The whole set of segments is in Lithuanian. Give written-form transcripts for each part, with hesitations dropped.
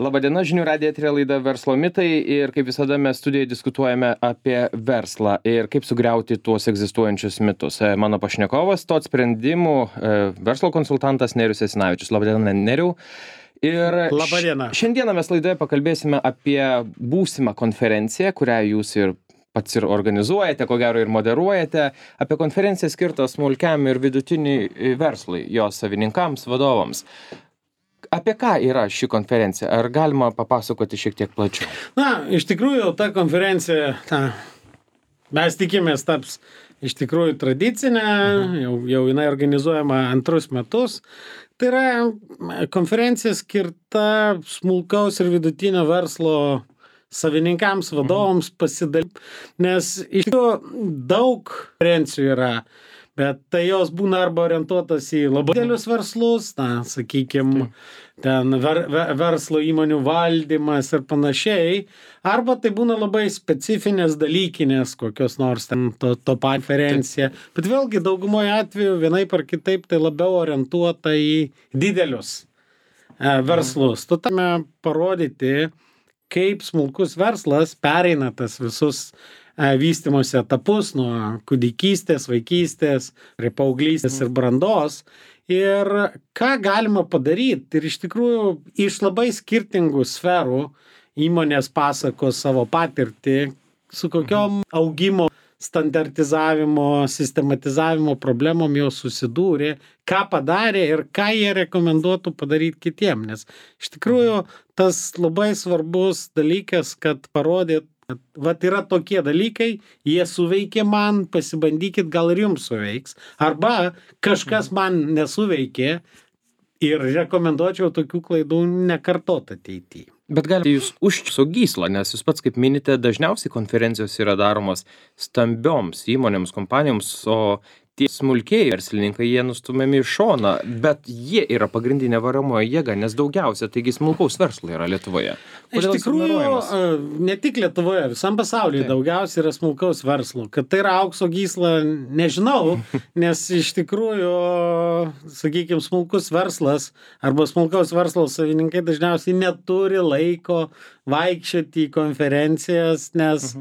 Labadiena, žinių radijo eteryje laida Verslo mitai ir kaip visada mes studijoje diskutuojame apie verslą ir kaip sugriauti tuos egzistuojančius mitus. Mano pašnekovas, TOT sprendimų verslo konsultantas Nerijus Jasinavičius. Labadiena, Nerijau. Ir Labadiena. Šiandieną mes laidoje pakalbėsime apie būsimą konferenciją, kurią jūs ir pats ir organizuojate, ko gero ir moderuojate, apie konferenciją skirtą smulkiam ir vidutiniui verslui, jos savininkams, vadovams. Apie ką yra ši konferencija? Ar galima papasakoti šiek tiek plačiau? Na, iš tikrųjų, ta konferencija, mes tikimės taps iš tikrųjų tradicinė, jau jinai organizuojama antrus metus. Tai yra konferencija skirta smulkaus ir vidutinio verslo savininkams, vadovams pasidalyti, nes iš tikrųjų daug konferencijų yra, bet tai jos būna arba orientuotas į labai didelius verslus, sakykime, ten verslo įmonių valdymas ir panašiai, arba tai būna labai specifinės dalykinės kokios nors ten to konferencija, bet vėlgi daugumoje atveju vienaip ar kitaip tai labiau orientuota į didelius verslus. Tu turime parodyti, kaip smulkus verslas pereina tas visus vystymosi etapus nuo kūdikystės, vaikystės, prie paauglystės ir brandos. Ir ką galima padaryti. Ir iš tikrųjų iš labai skirtingų sferų įmonės pasakos savo patirtį, su kokiom augimo, standartizavimo, sistematizavimo problemom jos susidūrė, ką padarė ir ką jie rekomenduotų padaryti kitiem. Nes iš tikrųjų tas labai svarbus dalykas, kad parodyt, vat yra tokie dalykai, jie suveikė man, pasibandykit, gal ir jums suveiks. Arba kažkas man nesuveikė ir rekomenduočiau tokių klaidų nekartot ateityje. Bet galite jūs užčiauso gyslą, nes jūs pats, kaip minite, dažniausiai konferencijos yra daromos stambioms įmonėms, kompanijoms, o tie smulkiai verslininkai, jie nustumiami į šoną, bet jie yra pagrindinė varomoji jėga, nes daugiausia, taigi smulkaus verslo yra Lietuvoje. Iš tikrųjų, ne tik Lietuvoje, visam pasaulyje daugiausiai yra smulkaus verslo. Kad tai yra aukso gysla, nežinau, nes iš tikrųjų, sakykime, smulkus verslas arba smulkaus verslo savininkai dažniausiai neturi laiko vaikščioti į konferencijas, nes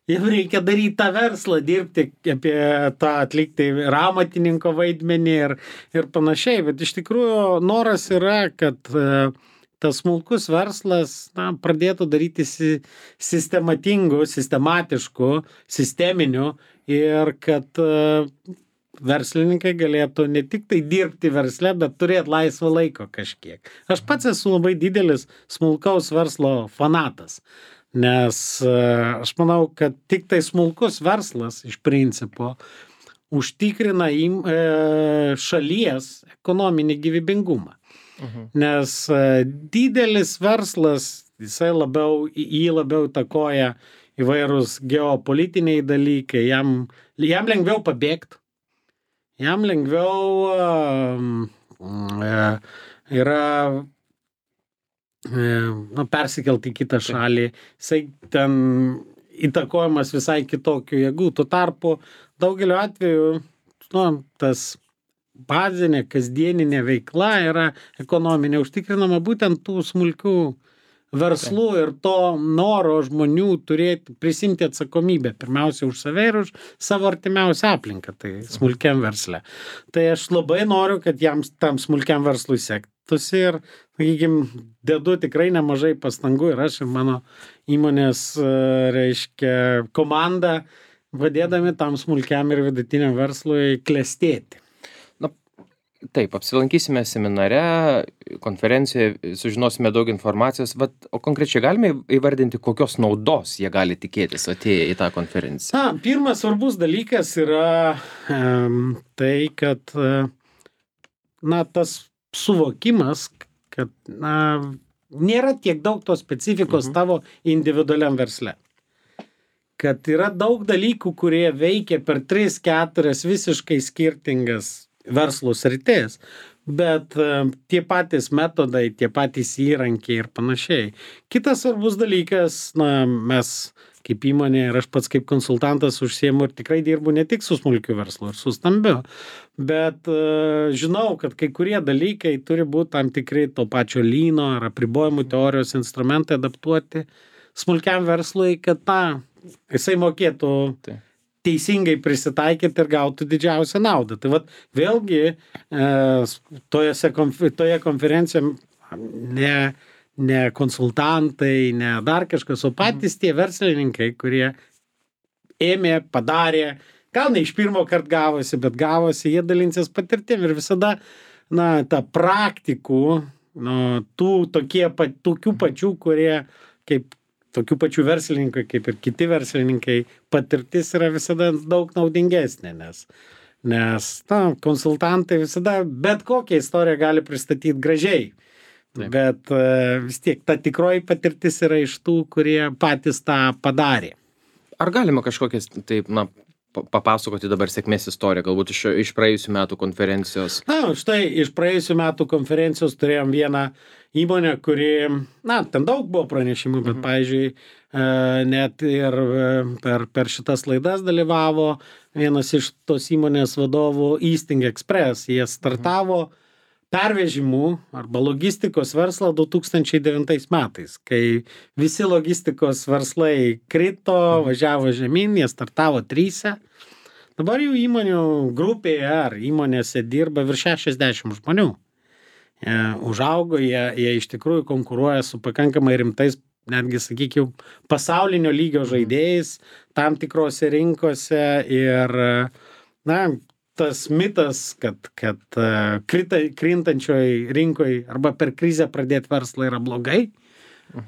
jiem reikia daryti tą verslą, dirbti apie tą, atlikti ramatininko vaidmenį ir panašiai. Bet iš tikrųjų noras yra, kad tas smulkus verslas pradėtų daryti sistematiškų, sisteminių ir kad verslininkai galėtų ne tik tai dirbti versle, bet turėti laisvą laiko kažkiek. Aš pats esu labai didelis smulkaus verslo fanatas. Nes aš manau, kad tik tai smulkus verslas iš principo užtikrina šalies ekonominį gyvybingumą. Nes didelis verslas, jį labiau įtakoja įvairūs geopolitiniai dalykai, jam lengviau pabėgti, jam lengviau yra persikelti į kitą šalį, jisai ten įtakojamas visai kitokių jėgų. Tuo tarpu daugeliu atveju tas bazinė, kasdieninė veikla yra ekonominė, užtikrinama būtent tų smulkių verslų ir to noro žmonių prisimti atsakomybę pirmiausia už save ir už savo artimiausią aplinką, tai smulkiam versle. Tai aš labai noriu, kad tam smulkiam verslui sektųsi ir, sakykime, dedu tikrai nemažai pastangų ir aš ir mano įmonės, komanda, padėdami tam smulkiam ir vidutiniam verslui klestėti. Taip, apsilankysime seminare, konferencijoje, sužinosime daug informacijos, o konkrečiai galime įvardinti, kokios naudos jie gali tikėtis atėję į tą konferenciją? Pirmas svarbus dalykas yra tai, kad tas suvokimas, kad nėra tiek daug tos specifikos tavo individualiam versle. Kad yra daug dalykų, kurie veikia per 3-4 visiškai skirtingas verslo sritis, bet tie patys metodai, tie patys įrankiai ir panašiai. Kitas svarbus dalykas, mes kaip įmonė ir aš pats kaip konsultantas užsiemu ir tikrai dirbu ne tik su smulkiu verslu ir su stambiu, bet žinau, kad kai kurie dalykai turi būti tam tikri to pačio lyno ar apribojimų teorijos instrumentai adaptuoti smulkiam verslui, kad jisai mokėtų teisingai prisitaikyti ir gautų didžiausią naudą. Tai vat vėlgi toje konferencijoje ne konsultantai, ne dar kažkas, o patys tie verslininkai, kurie ėmė, padarė, gal ne iš pirmo karto gavosi, bet gavosi, jie dalinsis patirtim ir visada, ta praktikų, tokių pačių, kurie kaip tokių pačių verslininkų, kaip ir kiti verslininkai, patirtis yra visada daug naudingesnė, nes konsultantai visada bet kokią istoriją gali pristatyti gražiai. Taip. Bet vis tiek ta tikroji patirtis yra iš tų, kurie patys tą padarė. Ar galima kažkokias, taip, papasakoti dabar sėkmės istoriją, galbūt iš praėjusių metų konferencijos? Štai iš praėjusių metų konferencijos turėjom vieną įmonę, kuri, ten daug buvo pranešimų, bet, pavyzdžiui, net ir per šitas laidas dalyvavo vienas iš tos įmonės vadovų Easting Express. Jie startavo pervežimų arba logistikos verslą 2009 metais, kai visi logistikos verslai krito, važiavo žemyn, jie startavo 3. Dabar jų įmonių grupėje ar įmonėse dirba virš 60 žmonių. Užaugo, jie iš tikrųjų konkuruoja su pakankamai rimtais, netgi, sakykime, pasaulinio lygio žaidėjais tam tikrose rinkose ir, tas mitas, kad krintančioj rinkoj arba per krizę pradėti verslą yra blogai.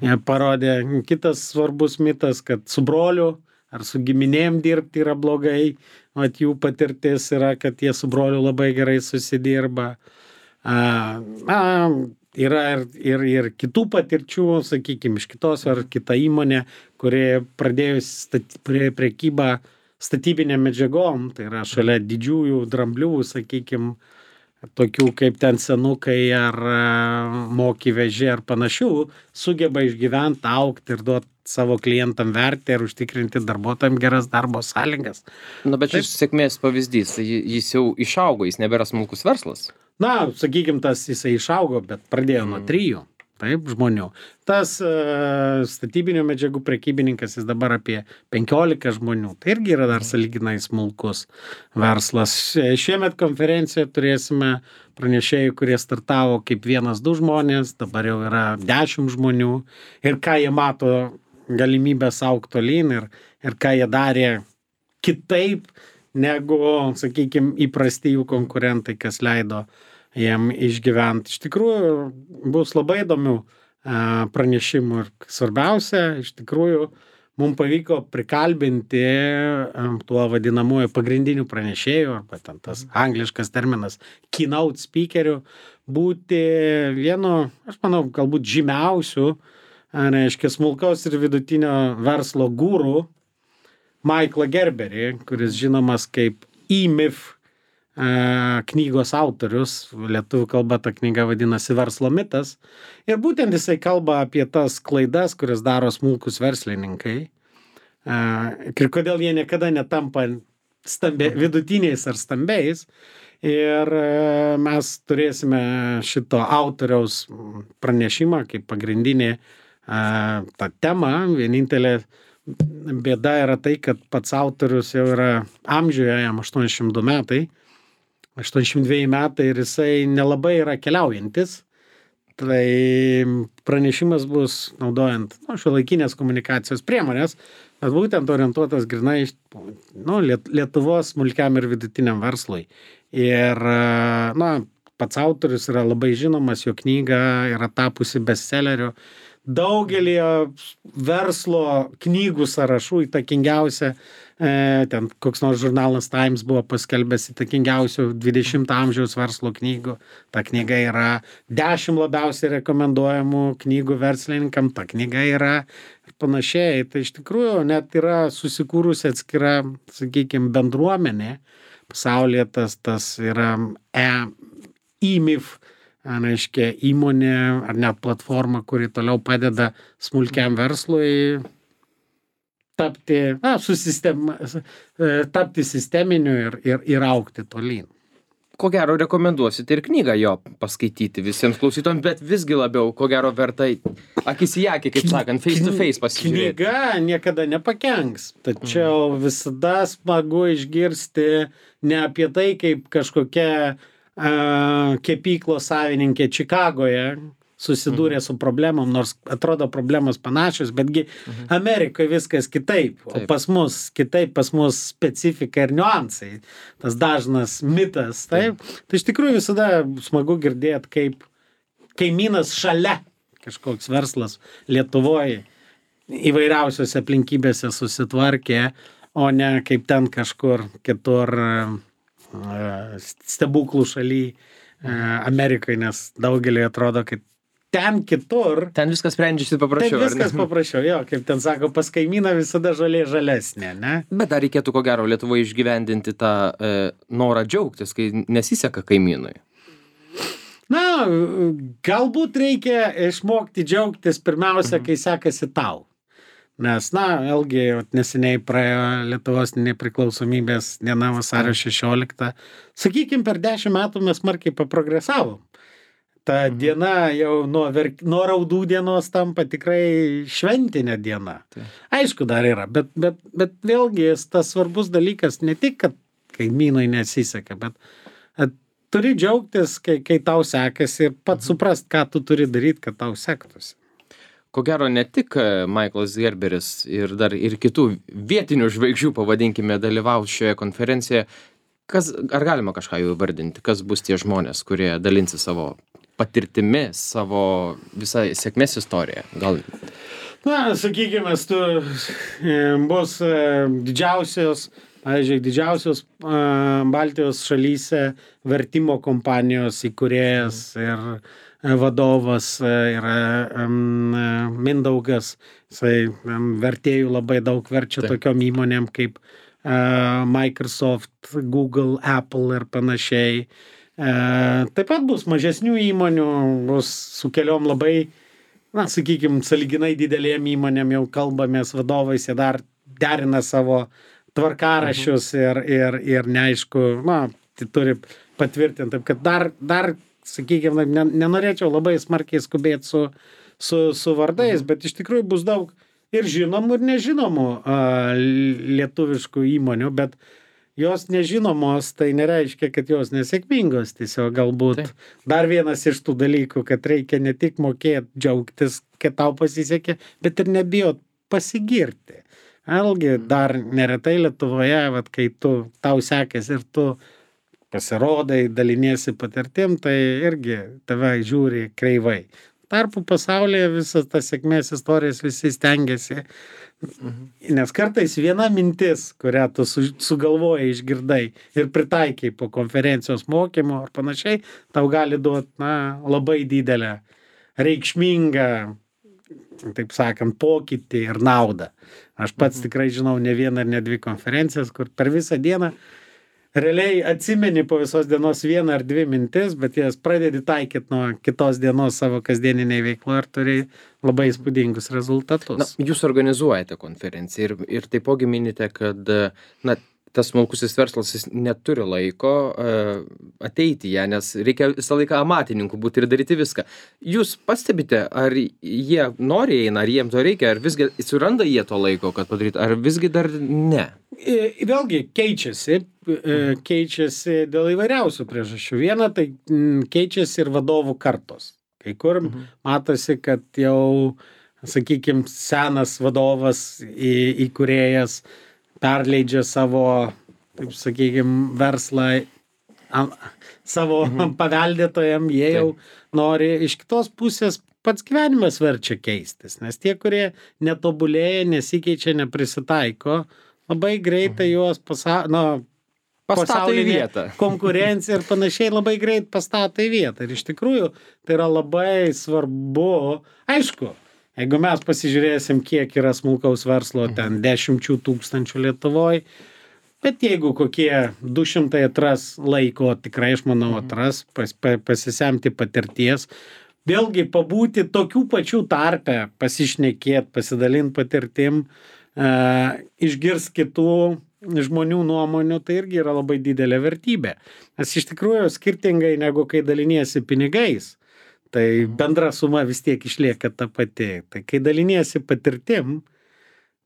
Jie parodė kitas svarbus mitas, kad su broliu ar su giminėm dirbti yra blogai. Vat jų patirtis yra, kad jie su broliu labai gerai susidirba. Yra ir kitų patirčių, sakykime, iš kitos ar kita įmonė, kurie pradėjus prekybą statybinėm medžiagom, tai yra šalia didžiųjų dramblių, sakykime, tokių kaip ten senukai ar moki veži ar panašių, sugeba išgyventi, augti ir duoti savo klientam vertę ir užtikrinti darbuotojams geras darbo sąlygas. Bet šis sėkmės pavyzdys, jis jau išaugo, jis nebėra smulkus verslas. Sakykime, jisai išaugo, bet pradėjo nuo 3. Taip, žmonių. Tas statybinių medžiagų prekybininkas, jis dabar apie 15 žmonių. Tai irgi yra dar sąlyginai smulkus verslas. Šiemet konferencijoje turėsime pranešėjų, kurie startavo kaip 1-2 žmonės, dabar jau yra 10 žmonių. Ir ką jie mato galimybės augti tolyn ir ką jie darė kitaip negu, sakykime, įprasti jų konkurentai, kas leido jiem išgyventi. Iš tikrųjų, bus labai įdomių pranešimų ir svarbiausia, iš tikrųjų, mums pavyko prikalbinti tuo vadinamuoju pagrindinių pranešėjų, arba ten tas angliškas terminas keynote speakerių, būti vienu, aš manau, galbūt žymiausių, reiškia, smulkaus ir vidutinio verslo guru, Michaelą Gerberį, kuris žinomas kaip E-Myth knygos autorius, lietuvių kalba ta knyga vadinasi Verslo mitas, ir būtent jisai kalba apie tas klaidas, kurias daro smulkus verslininkai, ir kodėl jie niekada netampa vidutiniais ar stambiais, ir mes turėsime šito autoriaus pranešimą kaip pagrindinį tą temą. Vienintelė bėda yra tai, kad pats autorius jau yra amžiuje, jam 82 metai, 82 metai ir jisai nelabai yra keliaujantis. Tai pranešimas bus naudojant šiuolaikinės komunikacijos priemonės, bet būtent orientuotas grynai Lietuvos smulkiam ir vidutiniam verslui. Ir pats autorius yra labai žinomas, jo knyga yra tapusi bestselleriu. Daugelį verslo knygų sąrašų įtakingiausia, ten koks nors žurnalas Times buvo paskelbęs įtakingiausių 20 amžiaus verslo knygų. Ta knyga yra 10 labiausiai rekomenduojamų knygų verslininkam, ta knyga yra panašiai. Tai iš tikrųjų net yra susikūrusi atskira, sakykime, bendruomenė. Pasaulyje tas yra E-Myth, reiškia, įmonė ar net platforma, kuri toliau padeda smulkiam verslui tapti sisteminiu ir augti tolyn. Ko gero rekomenduosite ir knygą jo paskaityti visiems klausytojams, bet visgi labiau, ko gero verta akis į akį, kaip sakant, face to face pasižiūrėti. Knyga niekada nepakenks, tačiau visada smagu išgirsti ne apie tai, kaip kažkokia kepyklos savininkė Čikagoje susidūrė su problemom, nors atrodo problemos panašios, betgi Amerikoje viskas kitaip, o pas mus kitaip, pas mus specifika ir niuansai, tas dažnas mitas, taip. Tai iš tikrųjų visada smagu girdėti, kaip kaimynas šalia kažkoks verslas Lietuvoje įvairiausiose aplinkybėse susitvarkė, o ne kaip ten kažkur kitur stebuklų šaly Amerikoje, nes daugeliui atrodo, kad ten kitur. Ten viskas sprendžiasi paprasčiau. Ten viskas paprasčiau, jo, kaip ten sako, pas kaimyną visada žolė žalesnė, ne? Bet dar reikėtų ko gero Lietuvoje išgyvendinti tą norą džiaugtis, kai nesiseka kaimynui. Na, galbūt reikia išmokti džiaugtis pirmiausia, kai sekasi tau. Nes, na, vėlgi, neseniai praėjo Lietuvos nepriklausomybės diena vasario 16. Sakykim, per 10 metų mes smarkiai paprogresavom. Ta diena jau nuo raudų dienos tampa tikrai šventinė diena. Aišku, dar yra, bet vėlgi tas svarbus dalykas ne tik, kad kaimynui nesiseka, bet turi džiaugtis, kai tau sekasi ir pats suprast, ką tu turi daryti, kad tau sektųsi. Ko gero ne tik Michaelas Gerberis ir dar ir kitų vietinių žvaigždžių, pavadinkime, dalyvaus šioje konferencijoje. Ar galima kažką jau įvardinti? Kas bus tie žmonės, kurie dalinsi savo patirtimi, savo visą sėkmės istoriją? Gal... Na, sakykime, bus didžiausios Baltijos šalyse vertimo kompanijos įkūrėjas ir vadovas yra Mindaugas. Jisai vertėjų labai daug verčia tokiom įmonėm kaip Microsoft, Google, Apple ir panašiai. Taip pat bus mažesnių įmonių, bus su keliom labai, na, sakykime, sąlyginai didelėm įmonėm jau kalbamės vadovais, jie dar derina savo tvarkaraščius ir neaišku, na, tai turi patvirtinti. Taip, kad dar sakykime, nenorėčiau labai smarkiai skubėti su vardais, bet iš tikrųjų bus daug ir žinomų, ir nežinomų lietuviškų įmonių, bet jos nežinomos, tai nereiškia, kad jos nesėkmingos. Tiesiog galbūt dar vienas iš tų dalykų, kad reikia ne tik mokėti džiaugtis, kad tau pasisekė, bet ir nebijot pasigirti. Vėlgi, dar neretai Lietuvoje, vat, kai tau sekės ir tu pasirodai, daliniesi patirtim, tai irgi tave žiūri kreivai. Tarpu pasaulyje visas tas sėkmės istorijas visi stengiasi. Nes kartais viena mintis, kurią tu sugalvojai, išgirdai ir pritaikiai po konferencijos mokymo ar panašiai, tau gali duoti, na, labai didelę, reikšmingą, taip sakant, pokytį ir naudą. Aš pats tikrai žinau ne vieną ir ne dvi konferencijas, kur per visą dieną realiai atsimeni po visos dienos vieną ar dvi mintis, bet jas pradedi taikyti nuo kitos dienos savo kasdieniniai veiklo ir turi labai įspūdingus rezultatus. Na, jūs organizuojate konferenciją ir taipogi minite, kad, na, tas smulkusis verslas jis neturi laiko ateiti ją, nes reikia visą laiką amatininkų būti ir daryti viską. Jūs pastebite, ar jie nori eina, ar jiems to reikia, ar visgi suranda jie to laiko, kad padarytų, ar visgi dar ne? Vėlgi keičiasi dėl įvairiausių priežasčių. Viena, tai keičiasi ir vadovų kartos. Kai kur matosi, kad jau, sakykime, senas vadovas įkūrėjas perleidžia savo, taip sakykime, verslą savo paveldėtojam, jie jau nori. Iš kitos pusės pats gyvenimas verčia keistis, nes tie, kurie netobulėja, nesikeičia, neprisitaiko, labai greitai juos pastato į vietą. Konkurencija ir panašiai labai greit pastato į vietą. Ir iš tikrųjų tai yra labai svarbu. Aišku, jeigu mes pasižiūrėsim, kiek yra smulkaus verslo, ten 10 tūkstančių Lietuvoje, bet jeigu kokie 200 atras laiko, tikrai, aš manau, atras, pasisemti patirties, vėlgi pabūti tokių pačių tarpe, pasišnekėti, pasidalinti patirtim, išgirs kitų žmonių nuomonių, tai irgi yra labai didelė vertybė. Nes iš tikrųjų skirtingai negu kai daliniesi pinigais, tai bendra suma vis tiek išlieka ta pati. Tai kai daliniesi patirtim,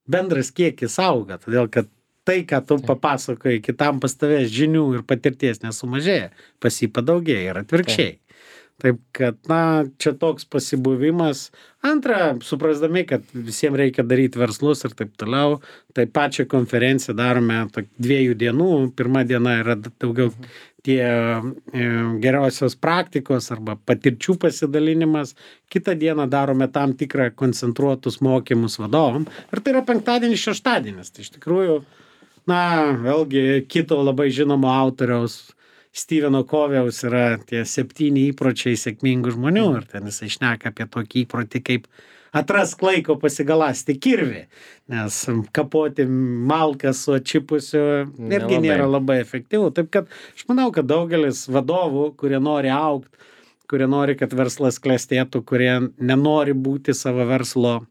bendras kiekis auga, todėl kad tai, ką tu papasakoji kitam, pas tavęs žinių ir patirties nesumažėja, pas jį padaugėja ir atvirkščiai. Taip kad, čia toks pasibuvimas. Antra, suprasdami, kad visiems reikia daryti verslus ir taip toliau, tai pačią konferenciją darome 2 dienų. Pirma diena yra daugiau tie geriausios praktikos arba patirčių pasidalinimas. Kitą dieną darome tam tikrą koncentruotus mokymus vadovam. Ir tai yra penktadienis, šeštadienis. Tai iš tikrųjų, vėlgi kito labai žinomo autoriaus Steveno Covey'aus yra tie 7 įpročiai sėkmingų žmonių ir ten jisai šneka apie tokį įprotį kaip atrask laiko pasigalasti kirvį, nes kapoti malką su atšipusiu irgi nėra labai efektyvu. Taip kad aš manau, kad daugelis vadovų, kurie nori augti, kurie nori, kad verslas klestėtų, kurie nenori būti savo verslo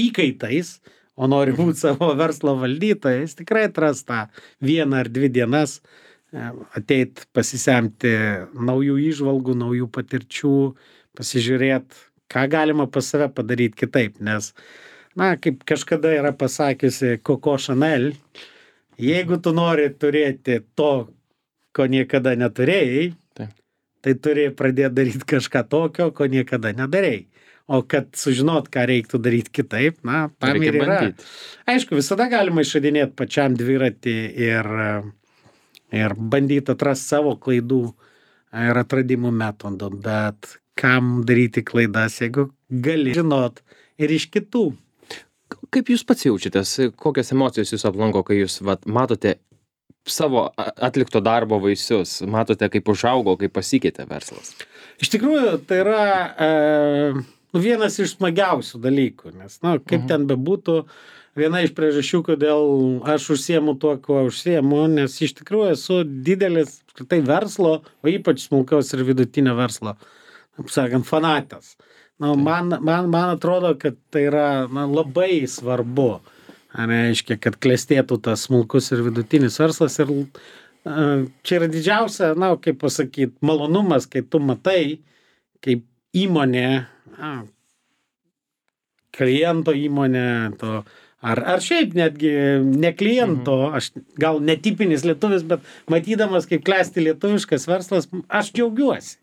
įkaitais, o nori būti savo verslo valdytojais, tikrai atras tą 1 ar 2 dienas ateit pasisemti naujų įžvalgų, naujų patirčių, pasižiūrėti, ką galima pas save padaryti kitaip, nes, kaip kažkada yra pasakiusi Coco Chanel, jeigu tu nori turėti to, ko niekada neturėjai, tai turi pradėti daryti kažką tokio, ko niekada nedarėjai. O kad sužinot, ką reiktų daryti kitaip, tam ir yra. Aišku, visada galima išradinėti pačiam dviratį ir bandyti atrasti savo klaidų ir atradimų metodų, bet kam daryti klaidas, jeigu gali žinot ir iš kitų. Kaip jūs pats jaučiatės, kokios emocijos jūs aplanko, kai jūs matote savo atlikto darbo vaisius, matote, kaip užaugo, kaip pasikeitė verslas? Iš tikrųjų, tai yra vienas iš smagiausių dalykų, nes, kaip ten bebūtų, viena iš priežasčių, kodėl aš užsiemu tuo, kuo užsiemu, nes iš tikrųjų esu didelis verslo, o ypač smulkaus ir vidutinio verslo, taip sakant, fanatas. Man atrodo, kad tai yra labai svarbu, reiškia, kad klestėtų tas smulkus ir vidutinis verslas. Ir čia yra didžiausia, kaip pasakyti, malonumas, kai tu matai, kaip įmonė, kliento įmonė, ar šiaip netgi ne kliento, aš gal netipinis lietuvis, bet matydamas, kaip klesti lietuviškas verslas, aš džiaugiuosi.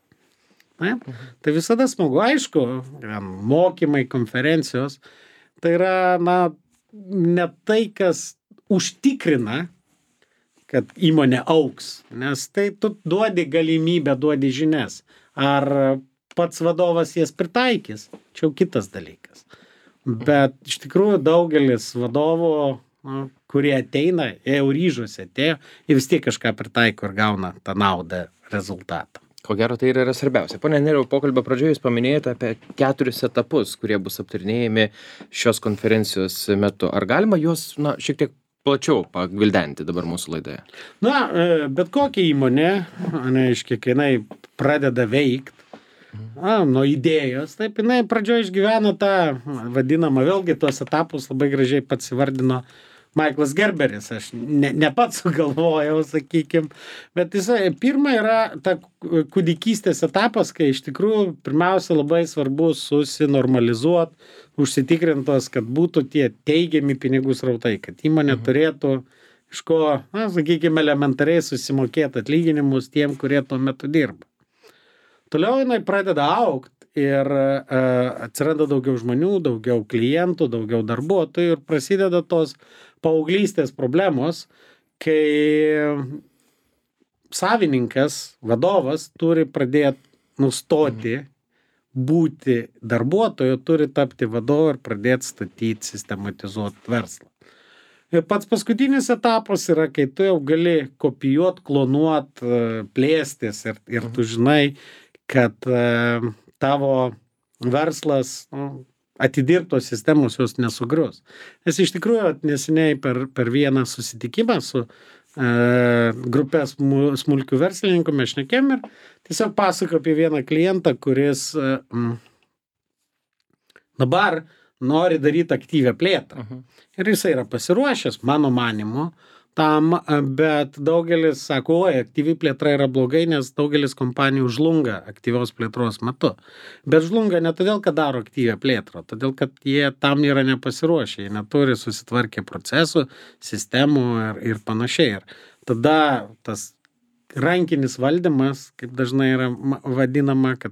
Tai visada smagu, aišku, mokymai, konferencijos, tai yra, ne tai, kas užtikrina, kad įmonė augs, nes tai tu duodi galimybę, duodi žinias. Ar pats vadovas jas pritaikys, čia jau kitas dalykas. Bet iš tikrųjų daugelis vadovų, kurie ateina, jie jau ryžosi atėjo, jie vis tiek kažką pritaiko ir gauna tą naudą, rezultatą. Ko gero, tai yra svarbiausia. Pone Nerijau, pokalbio pradžioje jūs paminėjote apie 4 etapus, kurie bus aptarinėjami šios konferencijos metu. Ar galima juos šiek tiek plačiau pagvildenti dabar mūsų laidoje? Bet kokia įmonė, kai jinai pradeda veikti, nuo idėjos, taip jinai pradžioje išgyvena tą vadinamą, vėlgi tuos etapus labai gražiai pats įvardino Michaelas Gerberis, aš ne pats sugalvojau, sakykim, bet jisai pirma yra ta kūdikystės etapas, kai iš tikrųjų pirmiausia labai svarbu susinormalizuoti, užsitikrintos, kad būtų tie teigiami pinigų srautai, kad įmonė turėtų iš ko, sakykime, elementariai susimokėti atlyginimus tiem, kurie tuo metu dirba. Toliau jinai pradeda augti ir atsiranda daugiau žmonių, daugiau klientų, daugiau darbuotojų ir prasideda tos paauglystės problemos, kai savininkas, vadovas turi pradėti nustoti būti darbuotoju, turi tapti vadovu ir pradėti statyti, sistematizuoti verslą. Ir pats paskutinis etapas yra, kai tu jau gali kopijuoti, klonuoti, plėstis ir tu žinai, kad tavo verslas, atidirbtos sistemos jos nesugrius. Nes iš tikrųjų neseniai per vieną susitikimą su grupė smulkių verslininkų mes šnekėjom ir tiesiog pasakoju apie vieną klientą, kuris dabar nori daryti aktyvią plėtrą. Ir jisai yra pasiruošęs, mano manimu, tam, bet daugelis sako, oi, aktyvi plėtra yra blogai, nes daugelis kompanijų žlunga aktyvios plėtros metu. Bet žlunga ne todėl, kad daro aktyvią plėtrą, todėl, kad jie tam yra nepasiruošę, jie neturi susitvarkę procesų, sistemų ir panašiai. Ir tada tas rankinis valdymas, kaip dažnai yra vadinama, kad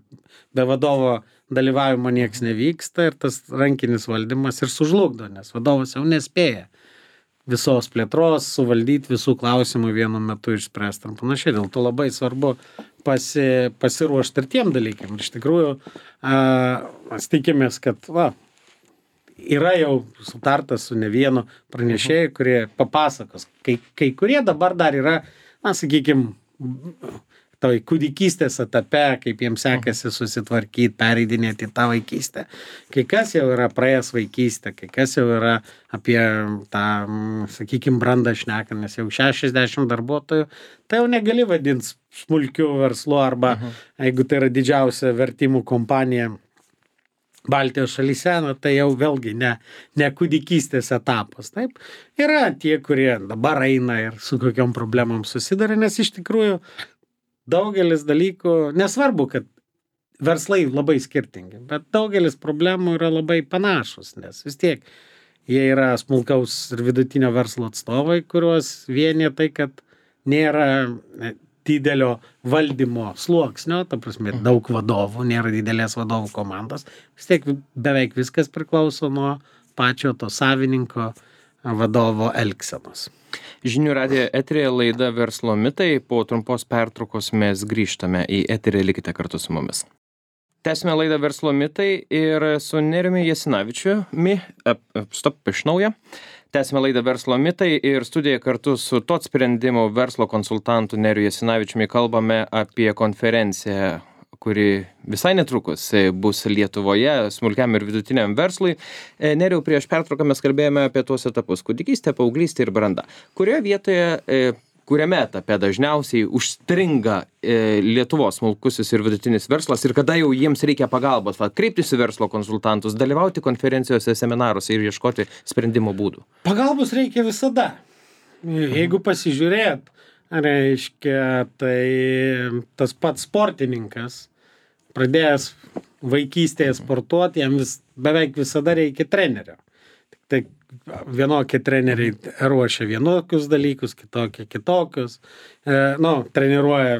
be vadovo dalyvavimo nieks nevyksta ir tas rankinis valdymas ir sužlugdo, nes vadovas jau nespėja visos plėtros, suvaldyti visų klausimų vienu metu išspręsti ir panašiai. Dėl to labai svarbu pasiruošti ir tiem dalykam. Ir iš tikrųjų, mes tikimės, kad yra jau sutartas su ne vienu pranešėju, kurie papasakos. Kai kurie dabar dar yra, sakykime, toj kūdikystės etape, kaip jiems sekasi susitvarkyti, pereidinėti tą vaikystę. Kai kas jau yra praėjęs vaikystę, kai kas jau yra apie tą, sakykime, brandą šneką, nes jau 60 darbuotojų, tai jau negali vadinti smulkiu verslu arba jeigu tai yra didžiausia vertimų kompanija Baltijos šalyse, tai jau vėlgi ne kūdikystės etapas. Taip, yra tie, kurie dabar eina ir su kokiom problemom susiduria, nes iš tikrųjų daugelis dalykų, nesvarbu, kad verslai labai skirtingi, bet daugelis problemų yra labai panašus, nes vis tiek jie yra smulkaus ir vidutinio verslo atstovai, kuriuos vienyje tai, kad nėra didelio valdymo sluoksnio, ta prasme, daug vadovų, nėra didelės vadovų komandos, vis tiek beveik viskas priklauso nuo pačio to savininko vadovo elgsenos. Žinių radijo eteryje laida Verslo mitai. Po trumpos pertraukos mes grįžtame į eterį, likite kartu su mumis. Tęsime laidą Verslo mitai ir su Nerijumi Jasinavičiumi, iš naujo. Tęsime laidą Verslo mitai ir studijoje kartu su TOT sprendimų verslo konsultantu Neriju Jasinavičiumi kalbame apie konferenciją, kuri visai netrukus bus Lietuvoje smulkiam ir vidutiniam verslui. Nerijau, prieš pertrauką mes kalbėjome apie tuos etapus: kūdikystė, paauglystė ir branda. Kuriame etape dažniausiai užstringa Lietuvos smulkusis ir vidutinis verslas ir kada jau jiems reikia pagalbos, kreiptis į verslo konsultantus, dalyvauti konferencijose, seminaruose ir ieškoti sprendimo būdų? Pagalbos reikia visada. Jeigu pasižiūrėt, reiškia, tai tas pats sportininkas, pradėjęs vaikystėje sportuoti, jam beveik visada reikia trenerio. Tai vienokie treneriai ruošia vienokius dalykus, kitokie kitokius. Treniruoja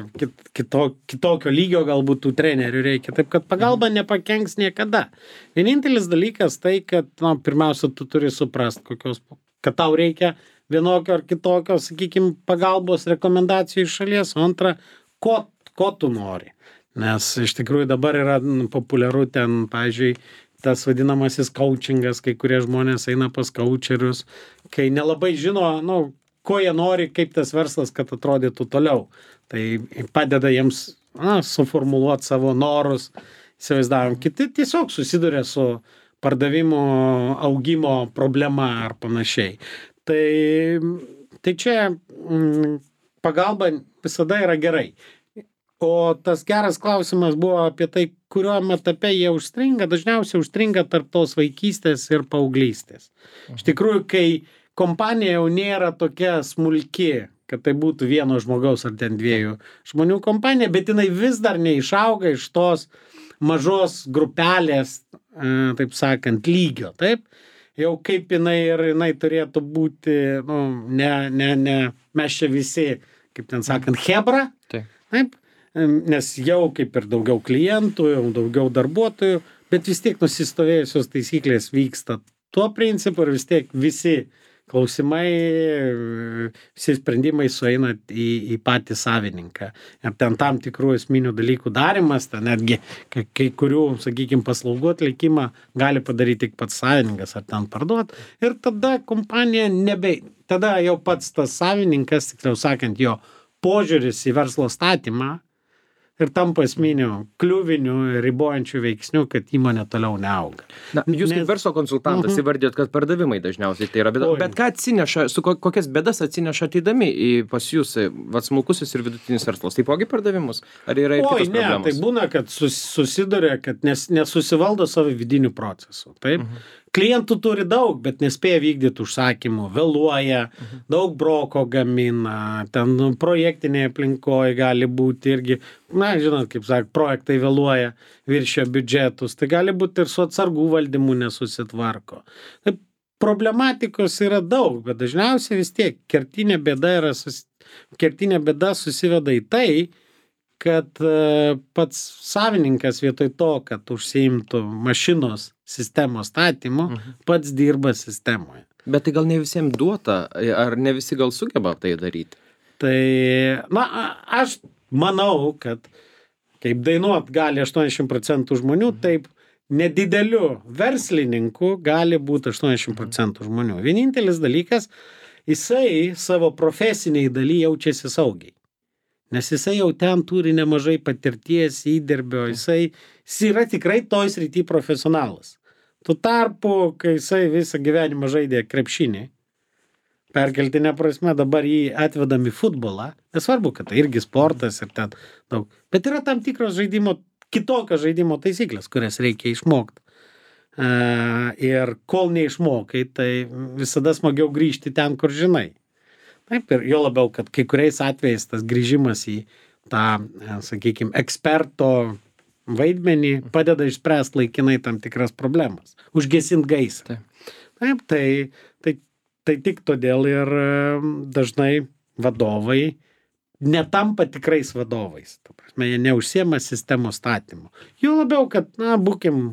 kitokio lygio, galbūt tų trenerių reikia. Taip, kad pagalba nepakenks niekada. Vienintelis dalykas tai, kad pirmiausia, tu turi suprast, kad tau reikia vienokio ar kitokio, sakykime, pagalbos rekomendacijų iš šalies. O antra, ko tu nori. Nes iš tikrųjų dabar yra populiaru ten, pavyzdžiui, tas vadinamasis coachingas, kai kurie žmonės eina pas coacherius, kai nelabai žino, ko jie nori, kaip tas verslas, kad atrodytų toliau. Tai padeda jiems suformuluoti savo norus, įsivaizdavom. Kiti tiesiog susiduria su pardavimo augimo problema ar panašiai. Tai čia pagalba visada yra gerai. O tas geras klausimas buvo apie tai, kuriuo etape jie užstringa. Dažniausiai užstringa tarp tos vaikystės ir paauglystės. Iš tikrųjų, kai kompanija jau nėra tokia smulki, kad tai būtų vieno žmogaus ar ten dviejų žmonių kompanija, bet jinai vis dar neišauga iš tos mažos grupelės, taip sakant, lygio, taip? Jau kaip jinai turėtų būti, mes čia visi, kaip ten sakant, chebra, taip? Nes jau kaip ir daugiau klientų, jau daugiau darbuotojų, bet vis tiek nusistovėjusios taisyklės vyksta tuo principu ir vis tiek visi klausimai, visi sprendimai sueina į patį savininką. Ir ten tam tikrų esminių dalykų darimas, ten netgi kai kurių, sakykime, paslaugų atlikimą gali padaryti tik pats savininkas ar ten parduot. Ir tada kompanija tada jau pats tas savininkas, tiksliau sakant, jo požiūris į verslo statymą ir tampa esminiu kliuviniu ir ribojančiu veiksniu, kad įmonė toliau neauga. Jūs kaip verslo konsultantas įvardėjot, kad pardavimai dažniausiai tai yra bėda. Bet ką atsineša, kokias bėdas atsineša ateidami pas jūs, smulkusis ir vidutinis verslas? Taipogi pardavimus? Ar yra ir kitos problemos? Tai būna, kad susiduria, kad nesusivaldo savo vidinių procesų. Taip? Klientų turi daug, bet nespėja vykdyti užsakymų, vėluoja, daug broko gamina, ten projektinėje aplinkoje gali būti irgi, na, žinot, kaip sakė, projektai vėluoja, viršio biudžetus, tai gali būti ir su atsargų valdymu nesusitvarko. Tai problematikos yra daug, bet dažniausiai vis tiek kertinė bėda susiveda į tai, kad pats savininkas vietoj to, kad užsiimtų mašinos sistemos statymu, pats dirba sistemoje. Bet tai gal ne visiems duota, ar ne visi gal sugeba tai daryti? Tai, na, aš manau, kad kaip dainuot gali 80% žmonių, taip nedideliu verslininku gali būti 80% žmonių. Vienintelis dalykas, jisai savo profesiniai daly jaučiasi saugiai. Nes jisai jau ten turi nemažai patirties, įdirbio, jisai yra tikrai toj srity profesionalas. Tuo tarpu, kai jisai visą gyvenimą žaidė krepšinį, perkeltinė prasme dabar jį atvedam į futbolą, nesvarbu, kad tai irgi sportas ir ten daug, bet yra tam tikros kitokios žaidimo taisyklės, kurias reikia išmokti. Ir kol neišmokai, tai visada smagiau grįžti ten, kur žinai. Taip, ir jo labiau, kad kai kuriais atvejais tas grįžimas į tą, sakykime, eksperto vaidmenį padeda išspręsti laikinai tam tikras problemas, užgesinti gaisrą. Taip, tai tik todėl ir dažnai vadovai netampa tikrais vadovais. Ta prasme, jie neužsiema sistemos statymu. Jo labiau, kad, na, būkim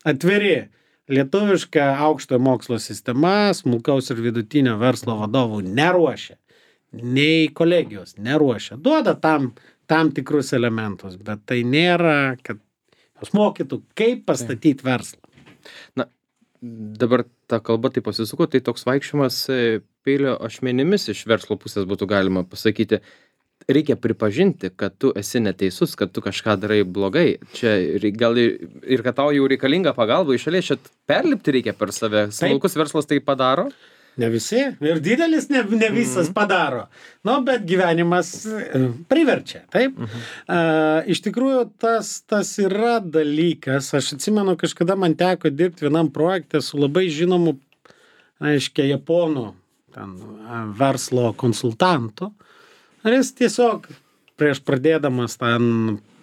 atviri. Lietuviška aukštojo mokslo sistema smulkaus ir vidutinio verslo vadovų neruošia, nei kolegijos neruošia. Duoda tam tikrus elementus, bet tai nėra, kad jos mokytų, kaip pastatyti verslą. Na, dabar ta kalba taip pasisuko, tai toks vaikščiojimas peilio ašmenimis iš verslo pusės būtų galima pasakyti. Reikia pripažinti, kad tu esi neteisus, kad tu kažką darai blogai. Čia gal ir kad tau jau reikalinga pagalba iš šalies, čia perlipti reikia per save. Smulkus verslas tai padaro? Ne visi. Ir didelis ne visas padaro. Nu, bet gyvenimas priverčia, taip? Iš tikrųjų, tas yra dalykas. Aš atsimenu, kažkada man teko dirbti vienam projekte su labai žinomu, aiškiai, japonų verslo konsultantu. Ar jis tiesiog prieš pradėdamas ten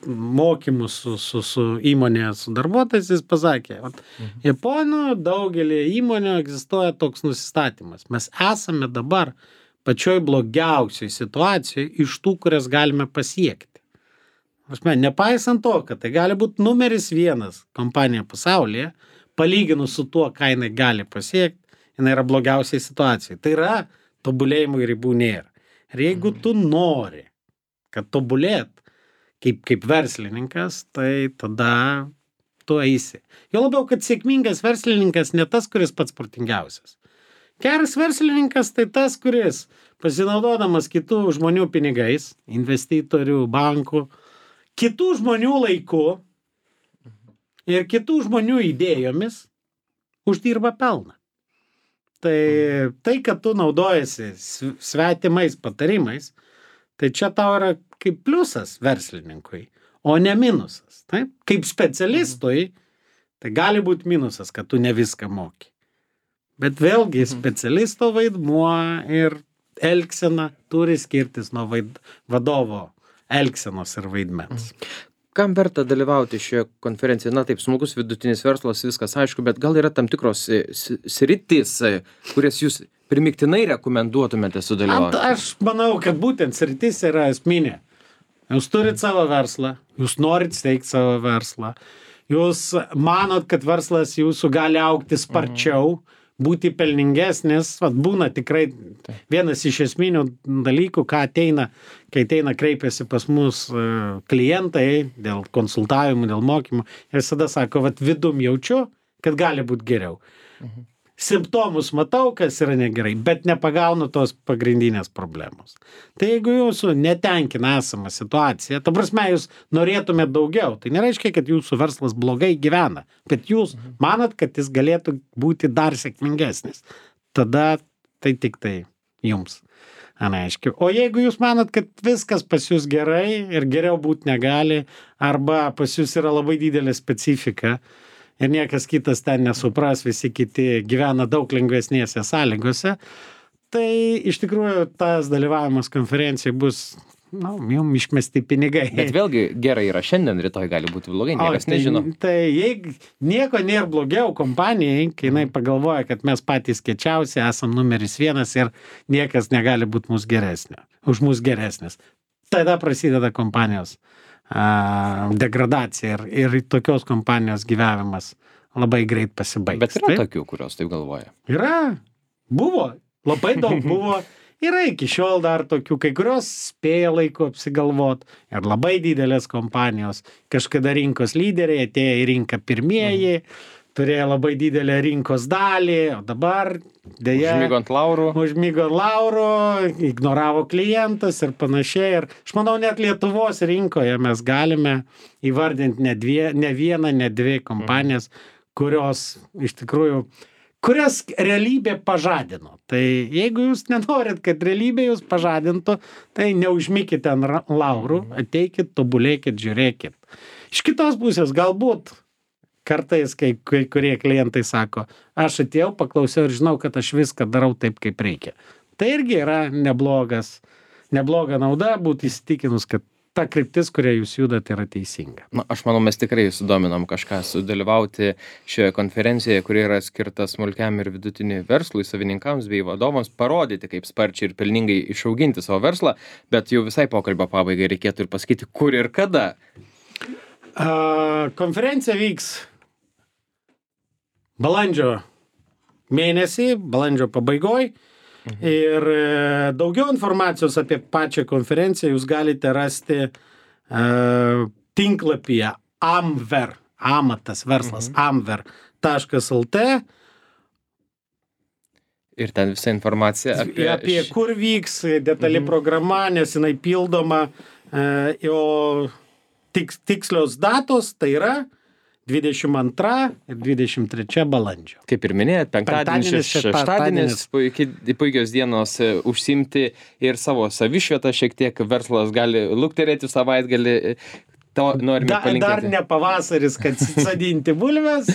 mokymus su įmonėje, su darbuotojais, jis pasakė, Japonų daugelį įmonių egzistuoja toks nusistatymas. Mes esame dabar pačioj blogiausioj situacijoj iš tų, kurias galime pasiekti. Nepaisant to, kad tai gali būti numeris 1 kompanija pasaulyje, palyginus su tuo, ką jinai gali pasiekti, jinai yra blogiausiai situacijai. Tai yra tobulėjimų ribų nėra. Ir jeigu tu nori, kad tobulėt kaip verslininkas, tai tada tu eisi. Jo labiau, kad sėkmingas verslininkas ne tas, kuris pats protingiausias. Geras verslininkas tai tas, kuris pasinaudodamas kitų žmonių pinigais, investitorių, bankų, kitų žmonių laiku ir kitų žmonių idėjomis uždirba pelną. Tai, kad tu naudojasi svetimais patarimais, tai čia tau yra kaip pliusas verslininkui, o ne minusas. Taip? Kaip specialistui, tai gali būti minusas, kad tu ne viską moki. Bet vėlgi specialisto vaidmuo ir elgsena turi skirtis nuo vadovo elgsenos ir vaidmens. Kam verta dalyvauti šioje konferencijoje? Na taip, smulkus vidutinis verslas, viskas aišku, bet gal yra tam tikros sritys, kurias jūs primiktinai rekomenduotumėte sudalyvauti? Aš manau, kad būtent sritis yra esminė. Jūs turit savo verslą, jūs norit steigti savo verslą, jūs manot, kad verslas jūsų gali augti sparčiau, būti pelningesnis, būna tikrai vienas iš esminių dalykų, kai ateina kreipiasi pas mus klientai dėl konsultavimų, dėl mokymų, ir visada sako, vidum jaučiu, kad gali būti geriau. Simptomus matau, kas yra negerai, bet nepagaunu tos pagrindinės problemos. Tai jeigu jūsų netenkina esama situacija, ta prasme, jūs norėtumėt daugiau, tai nereiškia, kad jūsų verslas blogai gyvena, bet jūs manat, kad jis galėtų būti dar sėkmingesnis. Tada tai tik tai jums. Neaiškiai. O jeigu jūs manat, kad viskas pas jūs gerai ir geriau būti negali, arba pas jūs yra labai didelė specifika, ir niekas kitas ten nesupras, visi kiti gyvena daug lengvesnėse sąlygose, tai iš tikrųjų tas dalyvavimas konferencijai bus, jums išmesti pinigai. Bet vėlgi gerai yra šiandien, rytoj gali būti blogai, niekas nežino. Tai jeigu nieko nėra blogiau kompanijai, kai jinai pagalvoja, kad mes patys kiečiausi, esam numeris 1 ir niekas negali būti už mus geresnis. Tada prasideda kompanijos degradacija ir tokios kompanijos gyvenimas labai greit pasibaigs. Bet yra tokių, kurios taip galvoja. Yra. Buvo. Labai daug buvo. Yra iki šiol dar tokių, kai kurios spėja laiku apsigalvot ir labai didelės kompanijos. Kažkada rinkos lyderiai atėjo į rinką pirmieji, turėjo labai didelę rinkos dalį, o dabar dėja... Užmigo ant laurų, ignoravo klientus ir panašiai. Ir aš manau, net Lietuvos rinkoje mes galime įvardinti ne vieną, ne 2 kompanijas, kurios iš tikrųjų... kurias realybė pažadino. Tai jeigu jūs nenorit, kad realybė jūs pažadintų, tai neužmykite ant laurų, ateikit, tobulėkit, žiūrėkit. Iš kitos pusės, galbūt kartais, kai kurie klientai sako, aš atėjau, paklausiau ir žinau, kad aš viską darau taip, kaip reikia. Tai irgi yra nebloga nauda būti įsitikinus, kad ta kryptis, kuria jūs judat, yra teisinga. Aš manau, mes tikrai sudominom kažką sudalyvauti šioje konferencijoje, kuri yra skirta smulkiam ir vidutiniui verslui, savininkams bei vadovams, parodyti, kaip sparčiai ir pelningai išauginti savo verslą, bet jau visai pokalbio pabaigai reikėtų ir pasakyti, kur ir kada. Konferencija vyks balandžio mėnesį, balandžio pabaigoj. Ir daugiau informacijos apie pačią konferenciją jūs galite rasti tinklapyje Amver, amatas verslas, amver.lt. Ir ten visa informacija apie kur vyks detali programa, nes jinai pildoma, o tikslios datos tai yra 22 ir 23 balandžio. Kaip ir minėjot, penktadienis, šeštadienis, puikios dienos užsimti ir savo savišvietą, šiek tiek verslas gali lukterėti savaitgalį, to norime palinkėti. Dar ne pavasaris, kad sadinti bulves,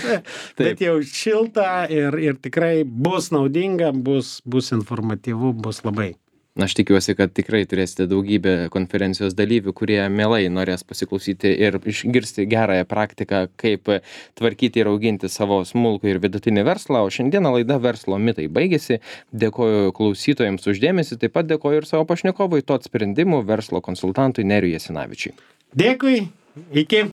bet jau šilta ir tikrai bus naudinga, bus informatyvu, bus labai. Aš tikiuosi, kad tikrai turėsite daugybę konferencijos dalyvių, kurie mielai norės pasiklausyti ir išgirsti gerąją praktiką, kaip tvarkyti ir auginti savo smulkų ir vidutinį verslą. O šiandieną laida Verslo mitai baigėsi. Dėkoju klausytojams už dėmesį, taip pat dėkoju ir savo pašnekovui TOT sprendimų verslo konsultantui Nerijui Jasinavičiui. Dėkui, iki.